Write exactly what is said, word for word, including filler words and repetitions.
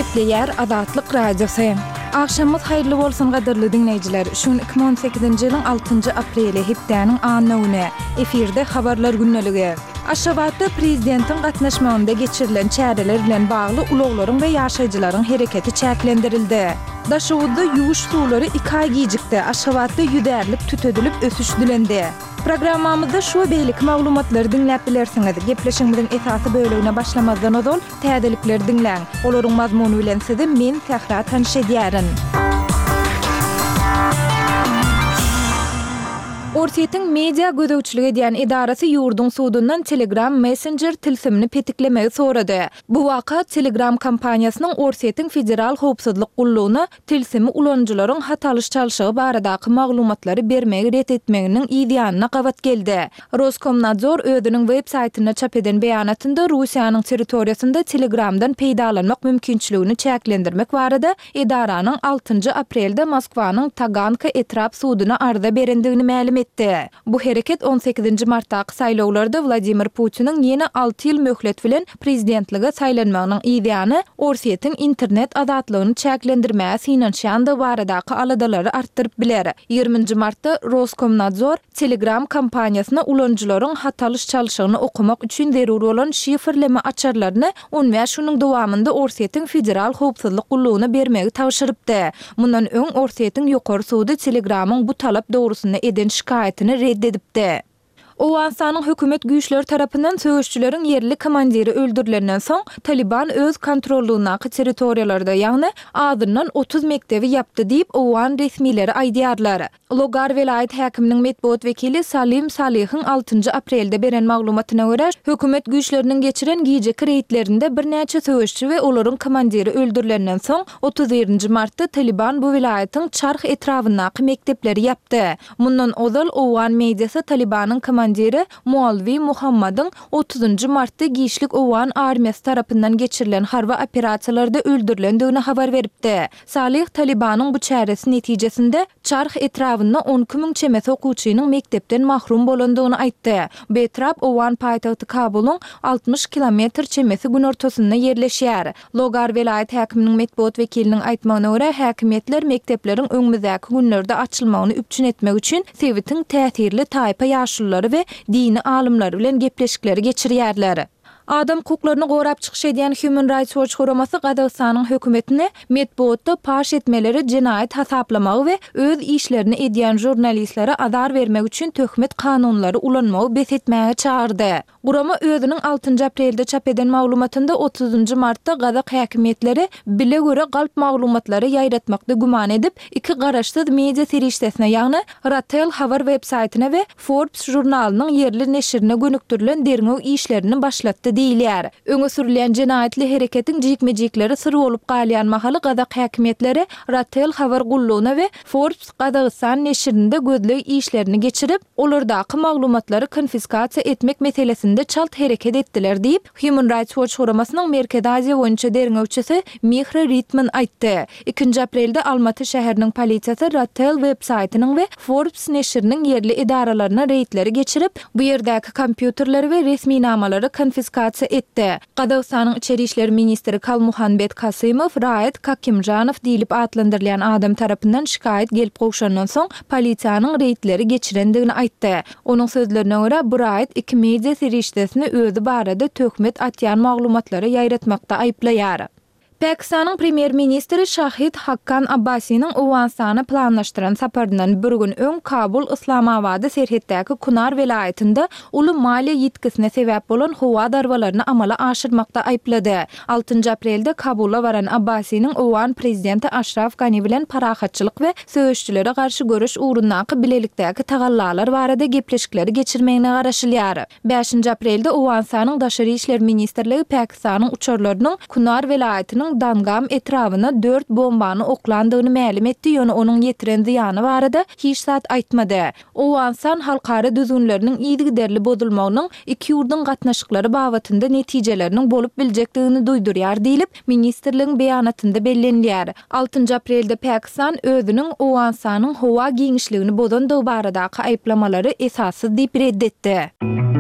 Gepleýär Azatlyk Radiosy. Agşamyňyz haýyrly bolsun gadyrly diňleýjiler. Şu gün iki müň on sekizinji ýylyň altynjy apreli, hepdäniň anna güni. Efirde Habarlar gündeligi. Aşgabatda prezidentiň gatnaşmagynda geçirilen çäreler bilen bagly ulaglaryň we ýaşaýjylaryň hereketi çäklendirildi. Daşoguzda ýuwuş suwlary iki aý gijikdi, Aşgabatda ýüzärlik tütedilip ösüş dilendi. Programmamyzda şu we beýleki maglumatlary diňläp bilersiňiz. Gepleşigimiziň esasy bölegine başlamazdan ozal, täzelikleri diňläň. Olaryň mazmuny bilen sizi men, Sähra tanyş edýärin. Orsýetiň media gözegçilik edýän edarasy ýurduň sudundan Telegram messenjer tilsimini petiklemegi sorady. Bu waka Telegram kompaniýasynyň Orsýetiň Federal howpsuzlyk gullugyna tilsimi ulanyjylaryň hat alyş-çalşygy baradaky maglumatlary bermegi ret etmeginiň yz ýanyna gabat geldi. Roskomnadzor özüniň web saýtynda çap eden beýanatynda Russiýanyň territoriýasynda Telegramdan peýdalanmak mümkinçiligini çäklendirmek barada edaranyň altynjy aprelde Moskwanyň Taganka etrap suduna arza berendigini mälim etdi. Bu hereket on sekizinji martdaky saýlawlarda Wladimir Putiniň ýene alty ýyl möhlet bilen prezidentlige saýlanmagynyň yzýany Orsýetiň internet azatlygyny çäklendirmäge synanyşýandygy baradaky aladalary artdyryp biler. Ýigrimi nji martda Roskomnadzor Telegram kompaniýasyna ulanyjylaryň hat alyş-çalşygyny okamak üçin zerur bolan şifrleme açarlaryny on bäş günüň dowamynda Orsýetiň Federal howpsuzlyk gullugyna bermegi tabşyrypdy. Mundan öň Orsýetiň Ýokary sudy Telegramyň bu talap dogrusynda eden şikaýatyny red edipdi. Owganystanyň hökümet güýçleri tarapyndan söweşijileriň ýerli komandiri öldürilenden soň, Talyban öz kontrollygyndaky territoriýalarda, ýagny azyndan otuz mekdebi ýapdy diýip, owgan resmileri aýdýarlar. Logar welaýat häkiminiň metbugat wekili Salim Salihiň altynjy aprelde beren maglumatyna görä, hökümet güýçleriniň geçiren gijeki reýdlerinde birnäçe söweşçi we olaryň komandiri öldürilenden soň, otuz birinji martda Talyban bu welaýatyň Çarh etrabyndaky mekdepleri ýapdy. Mundan ozal, owgan mediasy Talybanyň komandiri Mualwi Muhammadyň otuzynjy martda giçlik owgan armiýasy tarapyndan geçirilen harby operasiýalarda öldürilendigini habar beripdi. Salyh Talybanyň bu çäresi netijesinde Çarh etrabynda on iki müň çemesi okuwçynyň mekdepden mahrum bolandygyny aýtdy. Bu etrap owgan paýtagty Kabulyň altmyş kilometr çemesi günortasynda ýerleşýär. Logar welaýat häkiminiň metbugat wekiliniň aýtmagyna görä, häkimiýetler mekdepleriň öňümizdäki günlerde açylmagyny üpjün etmek üçin sebitiň täsirli taýpa ýaşululary we dini alymlary bilen gepleşikleri geçirýärler. Adam hukuklaryny gorap çykyş edýän Human Rights Watch guramasy Gazagystanyň hökümetini metbugatda paş etmeleri jenaýat hasaplamagy we öz işlerini edýän žurnalistlere azar bermek üçin töhmet kanunlary ulanmagy bes etmäge çagyrdy. Gurama özüniň altynjy aprelde çap eden maglumatynda otuzynjy martda gazak häkimiýetleri bile-göre galp maglumatlary ýaýratmakda güman edip, iki garaşsyz media serişdesine, ýagny Ratel habar web-saýtyna we Forbes žurnalynyň ýerli neşirine gönükdirilen derňew işlerini başlatdy diýilýär. Öňe sürülýän jenaýatly hereketiň jikme-jikleri syr bolup galýan mahaly gazak häkimiýetleri Ratel habar gullugyna we Forbes Gazagystan neşirinde gözleg işlerini geçirip, olardaky maglumatlary konfiskasiýa etmek meselesinde çalt hereket etdiler diýip, Human Rights Watch guramasynyň Merkezi Aziýa boýunça derňewçisi Mihra Ritman aýtdy. Ikinji aprelde Almaty şäheriniň polisiýasy Ratel web-saýtynyň we Forbes neşiriniň ýerli edaralaryna reýdleri geçirip, bu ýerdäki kompýuterleri we resminamalary konfiskasiýa etdi. Gazagystanyň içeri işler ministri Kalmuhanbet Kasymow Raýat Kakimžanow diýlip atlandyrylýan adam tarapyndan şikaýat gelip gowşandan soň, polisiýanyň reýdleri geçirendigini aýtdy. Onuň sözlerine görä, bu raýat iki media serişdesini özi barada töhmet atýan maglumatlary ýaýratmakda aýyplaýar. Pakistanyň premýer-ministri Şahid Hakkan Abbasiniň Owganystana planlaşdyran saparyndan bir gün öň Kabul Yslamabady serhetdäki Kunar welaýatynda uly maliýe ýitgisine sebäp bolan howa zarbalaryny amala aşyrmakda aýyplady. Altynjy aprelde Kabula baran Abbasiniň owgan prezidenti Aşraf Gani bilen parahatçylyk we söweşijilere garşy göreş ugrundaky bilelikdäki tagallalar barada gepleşikleri geçirmegine garaşylýar. Bäşinji aprelde Owganystanyň Daşary işler ministrligi Pakistanyň uçarlarynyň Kunar welaýatynyň Dangam etrabyna dört bombany oklandygyny mälim etdi, ýöne onuň ýetiren zyýany barada hiç zat aýtmady. Owganystan halkara düzgünleriniň yzygiderli bozulmagynyň iki ýurduň gatnaşyklary babatynda netijeleriniň bolup biljekdigini duýdurýar diýlip, ministrligiň beýanatynda bellenilýär. Altynjy aprelde Pakistan özüniň Owganystanyň howa giňişligini bozandygy baradaky aýyplamalary esassyz diýip ret etdi.